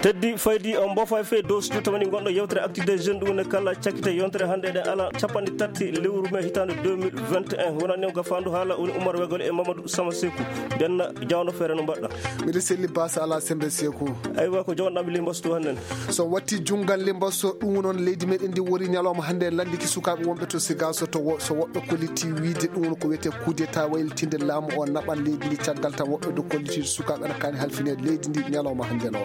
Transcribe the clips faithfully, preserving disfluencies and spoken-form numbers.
teddi faydi on bofa fe dow studio tamani gonɗo yewtere activité jeune ɗum ne kala cakkite yontere hannde eɗen ala capanɗe tati lewru mai hitande deux mille vingt et un wonani o gafandu haala woni Oumar Wegol e Mamadou Sama Sekou benna jawno feere no mbaɗɗa mbiɗa selli basa ala sembe Sekou aywa ko jawnoɗami limbasto hannen so watti jungal limbasto ɗum noon leydi meɗen ndi wori ñalawma hannde landiki sukaɓe wonɓe to Sigaso to so woɓɓe kolliti wiide ɗum ko wiyete coup d'état waylitinde laamu o naɓan leydi ndi caggal tan woɓɓe do kolliti sukaɓe ana kani halfinede leydi ndi ñalawma hannde no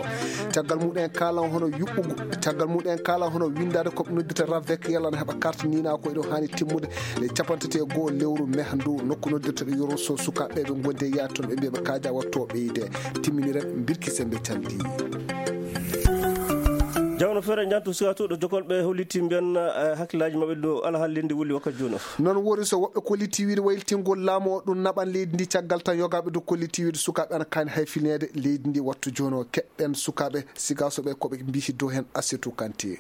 caggal muɗen kalan hono yuɓɓugo caggal muɗen kalan hono windade koɓe noddita ravek yalana heɓa carte nina ko eɗo hani timmude le capantati e goho lewru meha ndu nokku noddirta ɗo yoro so sukaɓe ɓe gonde yaade toon ɓe mbiyaɓe kaja watto ɓeyde timminiren birki sembe calɗi jawno feere jantu sukatuɗo jokolɓe holliti mbiyan hakkillaji mabɓe ɗo ala haalinde wuli wakkati joni o noon wori so woɓɓe kolliti wiide wayltingol laamu o ɗum naɓan leydi ndi caggal tan yogaɓe do kolliti wiide sukaɓe ana kani hayfinede leydi ndi wattu joni o keɓɓen sukaɓe Sigasoɓe koɓe mbiti dow hen Assetou Kanté.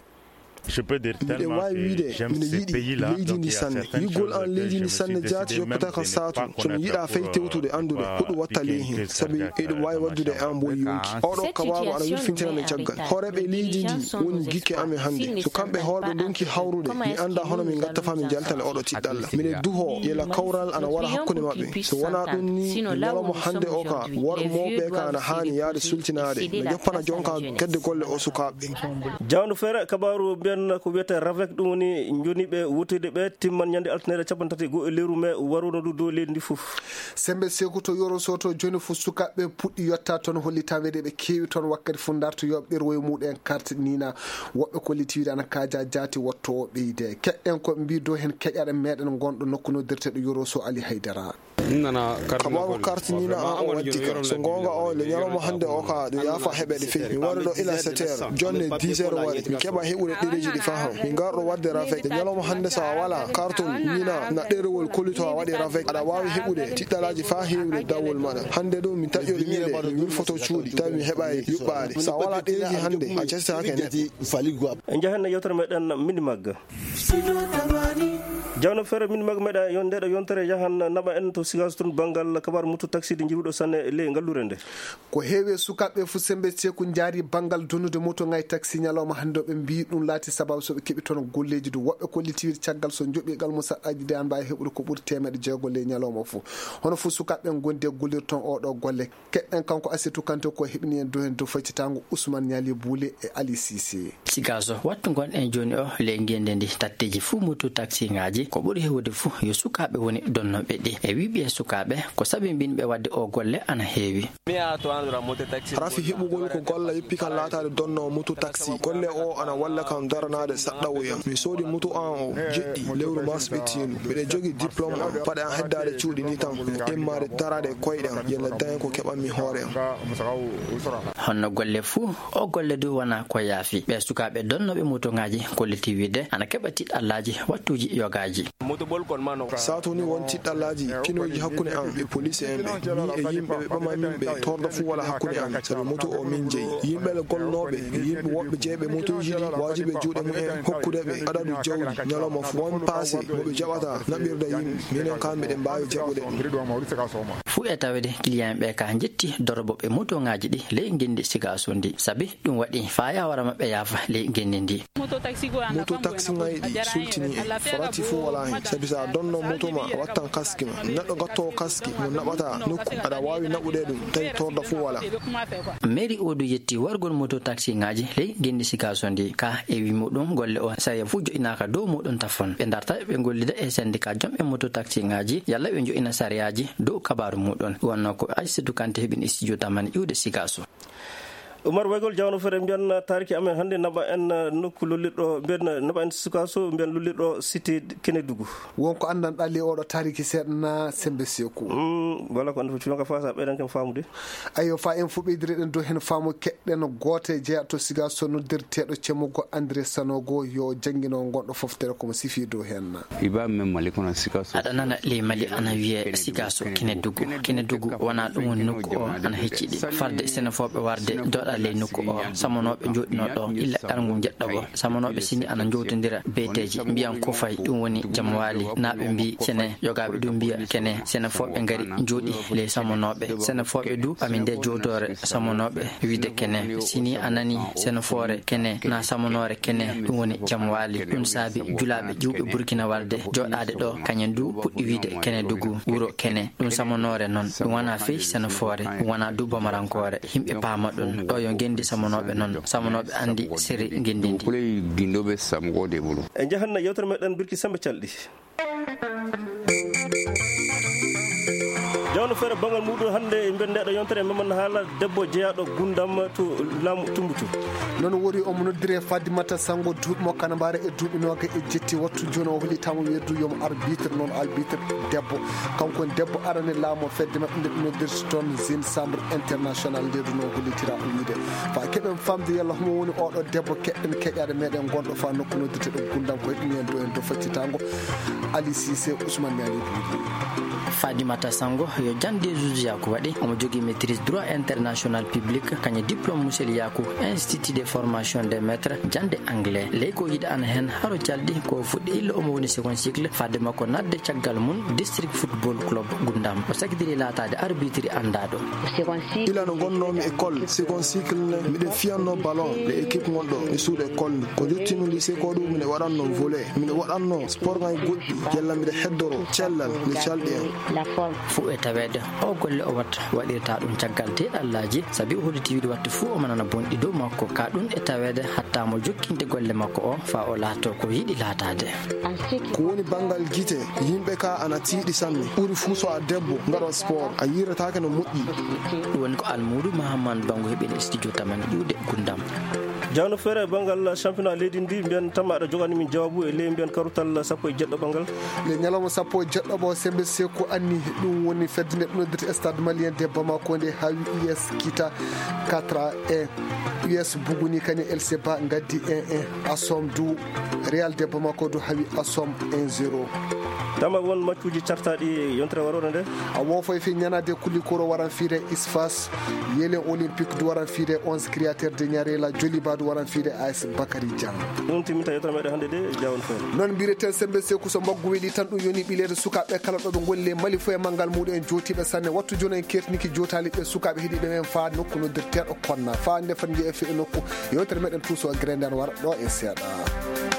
Je peux dire tellement que j'aime ce pays-là. leydi sanne yigol an leydi ndi sanne jaati yoppata kan saatu somi yiɗa fay tewtude andude huɗo watta ley hen sabi eɗum wawi waddude an boyi yonki oɗo kabaru ana wirfintinane caggal horeɓe leydi ndi woni gikke amen hannde so kamɓe hoorɓe donki hawrude mi anda hono min gatta fa min jaltane oɗo tiɗɗalla mine duho yela kawral ana wara hakkude mabɓe so wona ɗum ni ñalawma hannde o ka worɓe mawɓe ka ana hani yaade sultinade no joppana jonka kedde golle o sukaɓe jawno feere kabaru ko wiyete ravek ɗum woni joniɓe wutude ɓe timman ñande altinere capan tati go e lewru mai waruno ɗu dow leydi ndi fof sembe Sekou to yoro soto joni fof sukaɓe puɗɗi yetta toon hollitawede ɓe kewi toon wakkati fu darto yoɓe ɓerwoye muɗen carte nina woɓɓe kollitiwide ana kaja jaati watto o ɓeyde keɗɗen koɓe mbi dow hen keƴaɗe meɗen gonɗo nokku noddirteɗo yoro so Ali Haydara kabaru carte nina an o waddi ka so gonga o le ñalawma hannde o ka ɗum yafa heɓede fewi mi wari ɗo ila sept heures jonne dix heures waɗi mi keɓa heɓude ɗereji ɗi fa ham min garɗo wadde ravek e ñalawma hannde so a wala carton nina na ɗerewol kollito a waɗi ravek aɗa wawi heɓude tiɗɗalaji fa hewde dawol maɗa hannde ɗo min taƴƴori ñiɗe mi wilfoto cuuɗi tawi mi heɓa yuɓɓade so a wala ɗereji hannde a cestake neɗɗo en jahen yewtere meɗen mini magga jawno feere min magga meɗa yon ndeɗo yontere yahan naɓa en to Sigaso toon banggal kabaru mutu taxi ɗi jiruɗo sanne ley ngallure nde ko heewi sukaɓe fu sembe Sekou jaari banggal donnude moto ngay taxi ñalawma hannde ɓe mbi ɗum laati sababu soɓe keɓi toon golleji du woɓɓe kollitiwide caggal so joɓigal mo saɗɗaji de an mbawi heɓude ko ɓuuri temedde jeegol ley ñalawma fo hono fo sukaɓe gonde gollirde toon oɗo golle keɗɗen kanko Assetou Kanté ko heɓni en dow hen dow faccitango Ousmane Niali Boulé e Ali Cissé Sigaso wattu gonɗen joni o ley ngende ndi tatteji fuu moto taxi ngaji ko ɓuuri hewde fuu yo sukaɓe woni donnoɓe ɗi e wiɓe sukaɓe ko sabi mbinɓe wadde o golle ana heewi rafi heɓugol ko golla yeppi kan laatade donnowo moto taxi golle o ana walla kam daranade saɗɗawoyam mi soodi moto an o jeɗɗi lewru mars ɓettinu mbiɗe jogi diplôme am paɗe an heddade cuuɗi ni tan immade darade koyɗe am yella daña ko keɓanmi hoore am honno golle fuu o golle du wona ko yaafi ɓe sukaɓe donnoɓe moto ngaji kolliti wiide ana keɓa tiɗɗallaji wattuji yogaji saatu ni won tiɗɗallaji pinoji hakkude am e police en ɓe ni e yimɓe ɓe ɓama min ɓe torda fu wala hakkude am sabi moto o min jeeyi yimɓele golnoɓe yimɓe woɓɓe jeeɓe motoji ɗi wajiɓe juuɗe mumen hokkude ɓe adadu jawdi ñalawma fu won passé moɓe jaɓata naɓirda yimɓe minen kamɓe ɗe mbawi jaɓude fuu e tawede client ɓe ka jetti doroboɓe moto ngaji ɗi ley gendi Sigaso ndi sabi ɗum waɗi fa yawara mabɓe yaafa ley gendi ndi moto taxi ngayi ɗi sultini e forati fu wala hen sabi sa donno moto ma a wattan kaski ma neɗɗo gattowo kaski mo naɓata nokku aɗa wawi naɓude ɗum tawi torda fu wala mairie odu yetti wargol moto taxi ngaji ley gendi Sigaso ndi ka e wi muɗum golle o saya fu joƴinaka dow muɗum tafon ɓe darta ɓe gollida e syndicat jomɓe moto taxi ngaji yalla ɓe joƴina sariyaji dow kabaru muɗum wonno ko Assetou Kanté heɓin studio tamani iwde Sigaso Oumar Wegol jawno feere mbiyan tariki amen hannde naɓa en nokku lollirɗo mbiyan naɓa en Sigaso mbiyan lollirɗo cité Kénédougou wonko andanɗa li oɗo tariki seeɗana sembe Sekou wala ko anda fo culanka fa sa ɓeyɗan ken faamude ayo fa en fu ɓeydireɗen dow hen faamu keɗɗen goote jeeya to Sigaso noddirteɗo cemmugo André Sanogo yo jangguino gonɗo foftere komo sifi dow hen aɗa nana ley Mali ana wiye Sigaso Kénédougou Kénédougou wona ɗum woni nokku o ana hecciɗi farde sénéfoɓe warde doɗa joɗa ley nokku o samanoɓe joɗino ɗo illa ɗarngu jeɗɗo bo samanoɓe sini ana jowtodira beteji mbiyan ko fayi ɗum woni jaam waali naɓe mbi sene yogaɓe du mbiya kene sene foɓe ngari jooɗi ley samanoɓe sene foɓe du ɓami nde jodore samanoɓe wiide kene sini anani sene foore kene na samanore kene ɗum woni jaam waali ɗum saabi julaɓe juuɓe burkina walde joɗade ɗo kañen du puɗɗi wiide kene dugu wuro kene ɗum samanore noon ɗum wona fey sene foore ɗum wona du bamarankore himɓe paama ɗum ɗo yo gendi samanoɓe noon samanoɓe andi séri gendindi ginɗoɓe samgode bolo e jahanna yewtere meɗen birki sembe calɗi jawno feere bangal muɗum hannde e nder ndeɗo yontere memen haala debbo jeeyaɗo gundam to laamu tumbutu noon wori omo noddiri e Fadimata Sango duuɓi mo kanambare e duuɓi noga e jetti wattu joni o hollitama weddu yomo arbitre noon arbitre debbo kanko debbo arane laamu fedde mabɓe nde noddirta toon zine chambre international nde ɗum o hollitira o wiide fa keɓen famde yalla homo woni oɗo debbo keɗɗen keƴade meɗen gonɗo fa nokku noddirte ɗo gundam koye ɗum en do en do faccitango Ali Cissé Ousmane Niani Boudy Fadimata Sango yo jande juge Yakou waɗi omo jogui maîtrise droit international public kañe diplôme monsieur Yakou institut de formation des maîtres jande anglais ley ko yiɗa an hen haro jalɗi ko fuɗɗi illa omo woni second cycle fadde makko nadde caggal mum district football club gundam o sakidiri latade arbitre andaɗo ila no gonnomi école second cycle ne miɗen fiyanno ballon le équipe gonɗo e suuɗo école ni ko jottino lycée ko ɗum mine waɗanno volet mine waɗanno sport ngaji goɗɗi yalla mbiɗa heddoro cellal nde calɗi en fuu e tawede o golle o watta waɗirta ɗum caggal teɗallaji saabi o holliti wiide watta fuu omo nana bonɗi dow makko ka ɗum e tawede hatta mo jokkinde golle makko o fa o laato ko yiɗi laatade ko woni banggal guite yimɓe ka ana tiiɗi sanne ɓuuri fuu so a debbo gaɗo sport a yiratake no moƴƴi ɗum woni ko Almoudou Mahamadou Bango heeɓini studio tamen ƴuuɗe gundam jawno feere bangal championnat leydi ndi mbiyan tama aɗa jogani min jawabu e ley mbiyan karutal sappo e jeɗɗo bangal le ñalawma sappo e jeɗɗo ɓo sembe seko anni ɗum woni fedde nde ɗum stade malien de Bamako nde hawi U S kita quatre à un U S buguni kañum L C ba gaddi un un Assom du Real de Bamako du hawi Assom un zéro tama won matchuji cartaɗi yontere warore nde a wofo fi ñanade kulli koro waran fiire Isfas yelen olympique du waran fiire onze créateur de Ñarela Joliba du waran fiire A S Bakary Diang ɗum timita yettere meɗen hannde de jawon feere noon mbireten sembe seku so mbaggu weeli tan ɗum yoni ɓilede sukaɓe kala ɗoɓe golle mali fo e manggal muɗum en jotiɓe sanne wattu joni en kertiniki jotali ɓe sukaɓe heeɗiɓe men fa nokku noddirteɗo konna fa nde fan jeeya fe e nokku yewtere meɗen tuuso grenden wara ɗo e seeɗa